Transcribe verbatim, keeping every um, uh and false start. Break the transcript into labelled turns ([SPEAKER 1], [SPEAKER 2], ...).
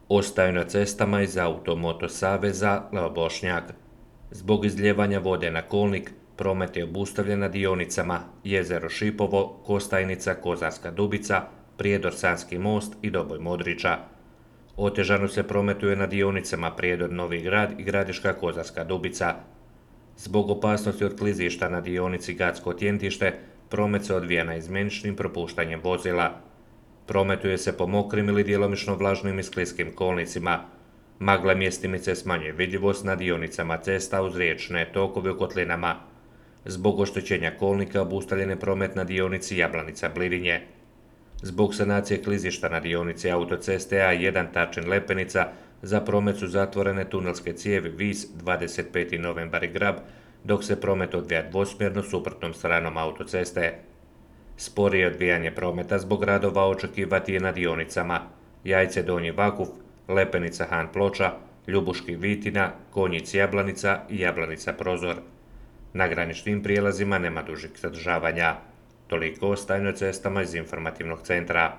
[SPEAKER 1] Ostaju na cestama iz Automoto saveza Leo Bošnjak. Zbog izljevanja vode na kolnik, promet je obustavljen na dionicama Jezero Šipovo, Kostajnica, Kozarska Dubica, Prijedor Sanski most i Doboj Modrića. Otežano se prometuje na dionicama Prijedor Novi Grad i Gradiška Kozarska Dubica. Zbog opasnosti od klizišta na dionici Gacko Tjentište, promet se odvija naizmjeničnim propuštanjem vozila. Prometuje se po mokrim ili djelomično vlažnim i skliskim kolnicima. Magla mjestimice smanjuje vidljivost na dionicama cesta uz riječne tokove u kotlinama. Zbog oštećenja kolnika obustavljen je promet na dionici Jablanica-Blirinje. Zbog sanacije klizišta na dionici autoceste A jedan Tarčin-Lepenica za promet su zatvorene tunelske cijevi Vis, dvadeset peti novembar i Grab, dok se promet odvija dvosmjerno suprotnom stranom autoceste. Sporije odvijanje prometa zbog radova očekivati je na dionicama Jajce Donji Vakuf, Lepenica Han Ploča, Ljubuški Vitina, Konjic Jablanica i Jablanica Prozor. Na graničnim prijelazima nema dužih zadržavanja. Toliko o stanju cestama iz informativnog centra.